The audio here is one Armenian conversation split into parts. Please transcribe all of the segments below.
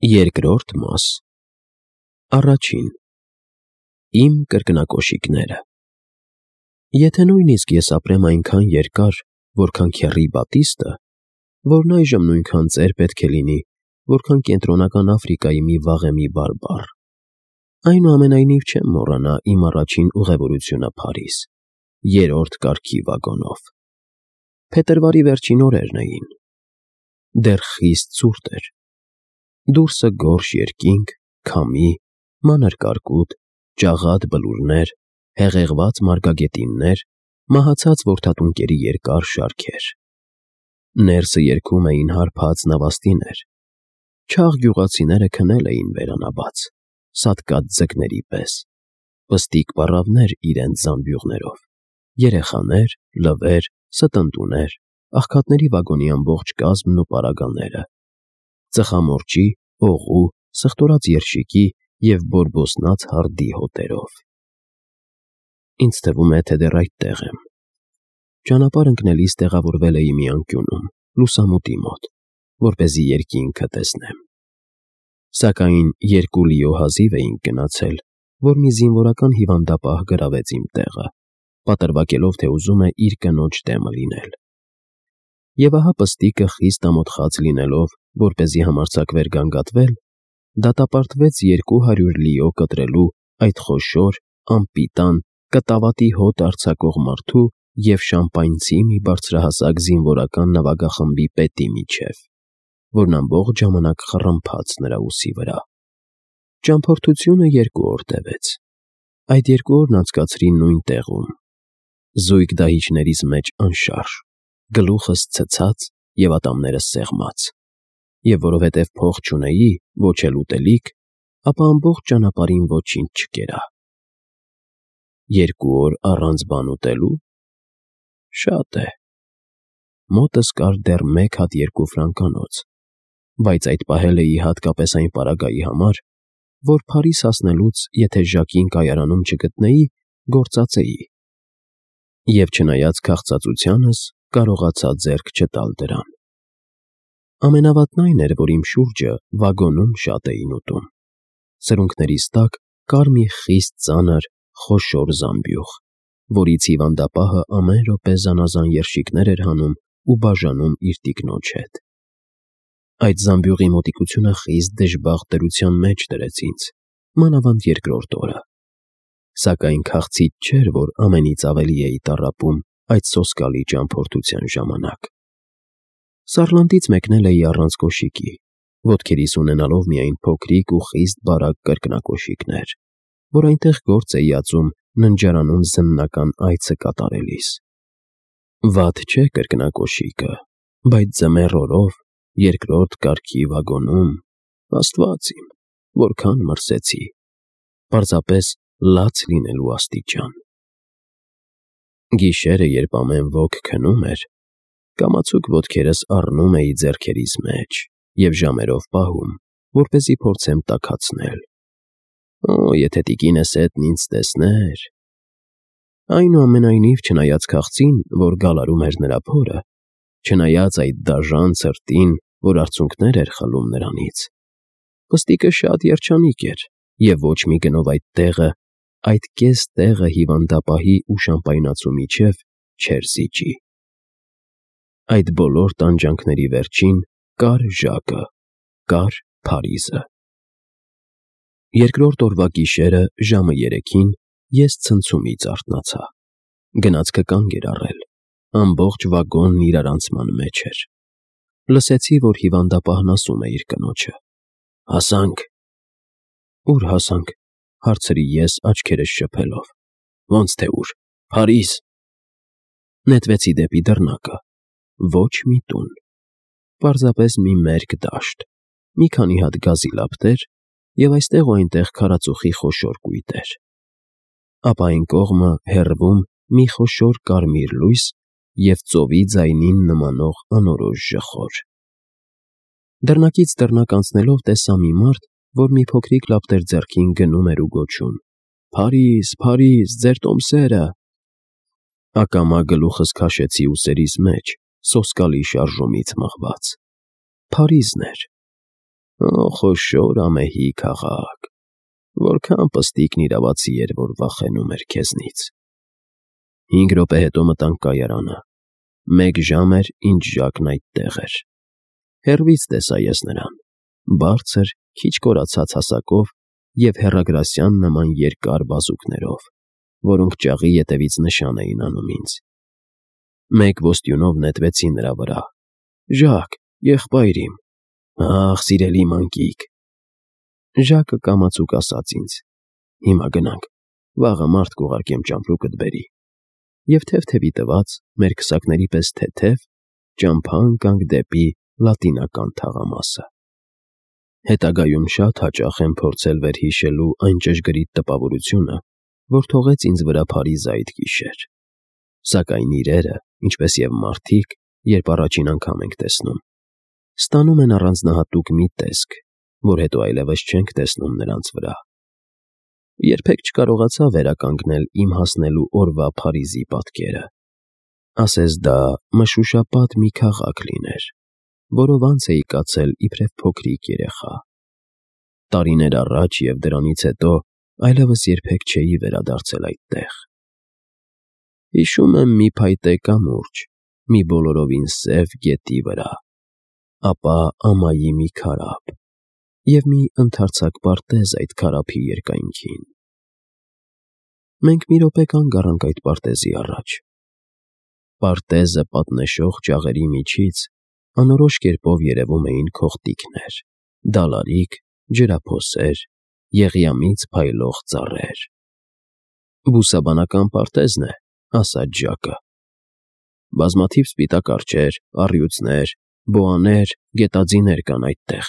Երկրորդ մաս Առաջին Իմ կրկնակոշիկները Եթե նույնիսկ ես ապրեմ այնքան երկար, որքան Քեռի Բատիստը, որն այժմ նույնքան ծեր պետք է լինի, որքան Կենտրոնական Աֆրիկայի մի վաղեմի բարբառ, այնուամենայնիվ չեմ մոռանա իմ առաջին ուղևորությունը Փարիզ, երրորդ կարգի վագոնով։ Փետրվարի վերջին օրերն էին։ Դեռ խիստ ցուրտ էր։ Դուրսը գորշ երկինք, քամի, մանր կարկուտ, ճաղատ բլուրներ, հեղեղված մարգագետիններ, մահացած որդատունկերի երկար շարքեր։ Ներսը երգում էին հարբած նավաստիներ։ Չաղ գյուղացիները քնել էին բերանաբաց, սատկած ձկների պես, պստիկ պառավներ իրենց զամբյուղներով, երեխաներ, լվեր, ստընտուներ, աղքատների վագոնի ամբողջ կազմն ու պարագաները, ծխամորճի, օղու, սխտորած երշիկի և բորբոսնած հարդի հոտերով։ Ինձ թվում է, թե դեռ այդտեղ եմ։ Ճանապարհ ընկնելիս տեղավորվել էի մի անկյունում, լուսամուտի մոտ, որպեսզի երկինքը տեսնեմ։ Սակայն երկու լիո հազիվ էինք գնացել, որ մի զինվորական հիվանդապահ գրավեց իմ տեղը, պատրվակելով, թե ուզում է իր կնոջ դեմը լինել։ Եվ ահա պստիկը խիստ ամոթխած լինելով, որպեսզի համարձակվեր գանգատվել, դատապարտվեց 200 լիո կտրելու այդ խոշոր, անպիտան, կտավատի հոտ արձակող մարդու և շամպայնցի մի բարձրահասակ զինվորական նվագախմբի պետի միջև, որն ամբողջ ժամանակ խռմփաց նրա ուսի վրա։ Ճամփորդությունը 2 օր տևեց։ Այդ 2 օրն անցկացրի նույն տեղում, զույգ դահիճներից մեջ անշարժ, գլուխս ցցած և ատամներս սեղմած, և որովհետև փող չունեի, ոչ էլ ուտելիք, ապա ամբողջ ճանապարհին ոչինչ չկերա։ 2 օր առանց բան ուտելու։ Շատ է։ Մոտս կար դեռ 1 հատ 2 ֆրանկանոց, բայց այդ պահել էի հատկապես այն պարագայի համար, որ Փարիզ հասնելուց, եթե Ժակին կայարանում չգտնեի, գործածեի։ Եվ չնայած քաղցածությանս, կարողացա ձեռք չտալ դրան։ Ամենավատն այն էր, որ իմ շուրջը վագոնում շատ էին ուտում։ Սրունքներիս տակ կար մի խիստ ծանր, խոշոր զամբյուղ, որից հիվանդապահը ամեն րոպե զանազան երշիկներ էր հանում ու բաժանում իր տիկնոջ հետ։ Այդ զամբյուղի մոտիկությունը խիստ դժբախտ դրության մեջ դրեց ինձ, մանավանդ երկրորդ օրը։ Սակայն քաղցից չէր, որ ամենից ավելի էի տառապում այդ սոսկալի ճամփորդության ժամանակ։ Սարլանդից մեկնել էի առանց կոշիկի, ոտքերիս ունենալով միայն փոքրիկ ու խիստ բարակ կրկնակոշիկներ, որ այնտեղ գործ էի ածում ննջարանում զննական այցը կատարելիս։ Վատ չէ կրկնակոշիկը, բայց ձմեռ օրով, երկրորդ կարգի վագոնում, Աստված իմ, որքան մրսեցի, պարզապես լաց լինելու աստիճան։ Գիշերը, երբ ամեն ոք քնում էր, կամացուկ ոտքերս առնում էի ձեռքերիս մեջ և ժամերով պահում, որպեսզի փորձեմ տաքացնել։ Օ, եթե տիկինս էդն ինձ տեսներ… Այնուամենայնիվ, չնայած քաղցին, որ գալարում էր նրա փորը, չնայած այդ դաժան ցրտին, որ արցունքներ էր խլում նրանից, պստիկը շատ երջանիկ էր և ոչ մի գնով այդ տեղը, այդ կես տեղը հիվանդապահի ու շամպայնացու միջև չէր զիջի։ Այդ բոլոր տանջանքների վերջին կար Ժակը, կար Փարիզը։ Երկրորդ օրվա գիշերը ժամը 3-ին ես ցնցումից արթնացա։ Գնացքը կանգ էր առել, ամբողջ վագոնն իրարանցման մեջ էր։ Լսեցի, որ հիվանդապահն ասում է իր կնոջը. «Հասանք»։ «Ուր հասանք», հարցրի ես աչքերս շփելով։ «Ոնց թե ուր, Փարիզ»։ Նետվեցի դեպի դռնակը։ Ոչ մի տուն։ Պարզապես մի մերկ դաշտ, մի քանի հատ գազի լապտեր և այստեղ ու այնտեղ քարածուխի խոշոր կույտեր։ Ապա այն կողմը, հեռվում, մի խոշոր կարմիր լույս և ծովի ձայնին նմանող անորոշ ժխոր։ Դռնակից դռնակ անցնելով տեսա մի մարդ, որ մի փոքրիկ լապտեր ձեռքին գնում էր ու գոչում. «Փարիզ, Փարիզ, ձեր տոմսերը»։ Ակամա գլուխս քաշեցի ուսերիս մեջ, սոսկալի շարժումից մղված։ Փարիզն էր։ Խոշոր ամեհի քաղաք, որքան պստիկն իրավացի էր, որ վախենում էր քեզնից։ 5 րոպե հետո մտանք կայարանը։ 1 ժամ էր, ինչ Ժակն այդտեղ էր։ Հեռվից տեսա ես նրան, բարձր, քիչ կորացած հասակով և հեռագրասյան նման երկար բազուկներով, որոնք ճաղի ետևից նշան էին անում ինձ։ 1 ոստյունով նետվեցի նրա վրա։ «Ժակ, եղբայր իմ»։ «Ախ, սիրելի մանկիկ»։ Ժակը կամացուկ ասաց ինձ. «Հիմա գնանք, վաղը մարդ կուղարկեմ ճամպրուկդ բերի»։ Եվ թեթևի տված, մեր քսակների պես թեթև, ճամփա ընկանք դեպի լատինական թաղամասը։ Հետագայում շատ հաճախ եմ փորձել վերհիշելու այն ճշգրիտ տպավորությունը, որ թողեց ինձ վրա Փարիզը այդ գիշեր։ Սակայն իրերը, ինչպես և մարդիկ, երբ առաջին անգամ ենք տեսնում, ստանում են առանձնահատուկ մի տեսք, որ հետո այլևս չենք տեսնում նրանց վրա։ Երբեք չկարողացա վերականգնել իմ հասնելու օրվա Փարիզի պատկերը։ Ասես դա մշուշապատ մի քաղաք լիներ, որով անց էի կացել իբրև փոքրիկ երեխա։ Տարիներ առաջ և դրանից հետո այլևս երբեք չէի վերադարձել այդտեղ։ Հիշում եմ մի փայտե կամուրջ, մի բոլորովին սև գետի վրա, ապա ամայի մի քարափ և մի ընդարձակ պարտեզ այդ քարափի երկայնքին։ Մենք մի րոպե կանգ առանք այդ պարտեզի առաջ։ Պարտեզը պատնեշող ճաղերի միջից անորոշ կերպով երևում էին քողտիկներ, դալարիկ, ջրափոսեր, եղյամից փայլող ծառեր։ «Բուսաբանական պարտեզն է», ասաց Ժակը։ «Բազմաթիվ սպիտակ արջեր, առյուծներ, բոաներ, գետաձիներ կան այդտեղ»։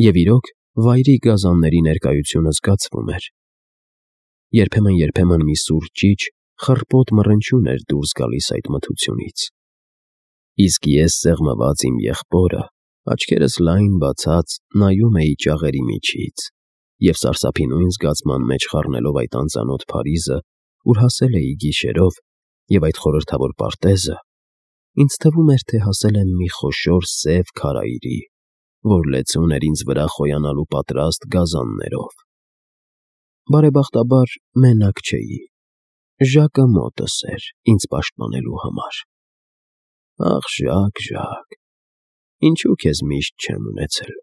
Եվ իրոք, վայրի գազանների ներկայությունը զգացվում էր։ Երբեմն մի սուր ճիչ, խռպոտ մռնչյուն էր դուրս գալիս այդ մթությունից։ Իսկ ես սեղմված իմ եղբորը, աչքերս լայն բացած, նայում էի ճաղերի միջից և սարսափի նույն զգացման մեջ խառնելով այդ անծանոթ Փարիզը, ուր հասել էի գիշերով, և այդ խորհրդավոր պարտեզը, ինձ թվում էր, թե հասել եմ մի խոշոր սև քարայրի, որ լեցուն էր ինձ վրա խոյանալու պատրաստ գազաններով։ Բարեբախտաբար, մենակ չէի։ Ժակը մոտս էր, ինձ պաշտպանելու համար։ Ախ, Ժակ, Ժակ, ինչու քեզ միշտ չեմ ունեցել։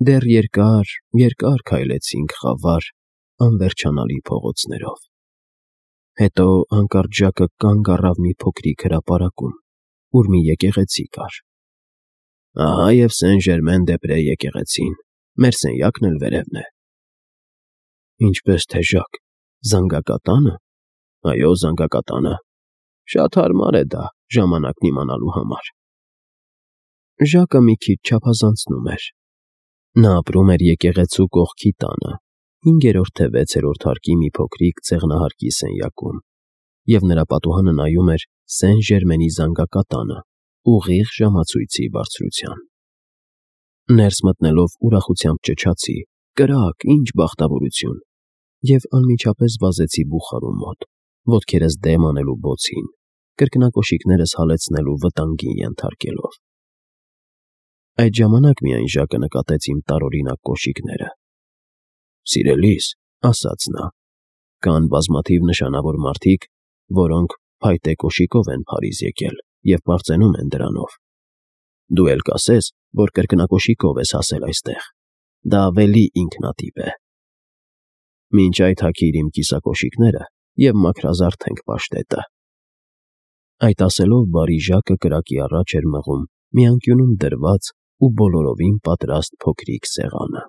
Դեռ երկար քայլեցինք խավար, անվերջանալի փողոցներով։ Հետո հանկարծ Ժակը կանգ առավ մի փոքրիկ հրապարակում, ուր մի եկեղեցի կար։ «Ահա և Սեն-Ժերմեն-դե-Պրե եկեղեցին, մեր սենյակն էլ վերևն է»։ «Ինչպես թե Ժակ, զանգակատա՞նը»։ «Այո, զանգակատանը։ Շատ հարմար է դա ժամանակն իմանալու համար»։ Ժակը մի քիչ չափազանցնում էր։ Նա ապրում էր եկեղեցու կողքի տանը, 5-րդ թե 6-րդ հարկի մի փոքրիկ ցեղնահարկի սենյակում, և նրա պատուհանը նայում էր Սեն-Ժերմենի զանգակատանը, ուղիղ ժամացույցի բարձրության։ Ներս մտնելով ուրախությամբ ճչացի. «Կրակ, ինչ բախտավորություն», և անմիջապես վազեցի բուխարու մոտ, ոտքերս դեմ անելու բոցին, կրկնակոշիկներս հալեցնելու վտանգին ենթարկելով։ Այդ ժամանակ միայն Ժակը նկատեց իմ տարօրինակ կոշիկները։ «Սիրելիս», ասաց նա, «կան բազմաթիվ նշանավոր մարդիկ, որոնք փայտե կոշիկով են Փարիզ եկել և պարծենում են դրանով։ Դու էլ կասես, որ կրկնակոշիկով ես հասել այստեղ։ Դա ավելի ինքնատիպ է։ Մինչ այդ հագիր իմ կիսակոշիկները և մաքրազարդենք պաշտետը»։ Այդ ասելով բարի Ժակը կրակի առաջ էր մղում մի անկյունում դրված ու բոլորովին պատրաստ փոքրիկ սեղանը։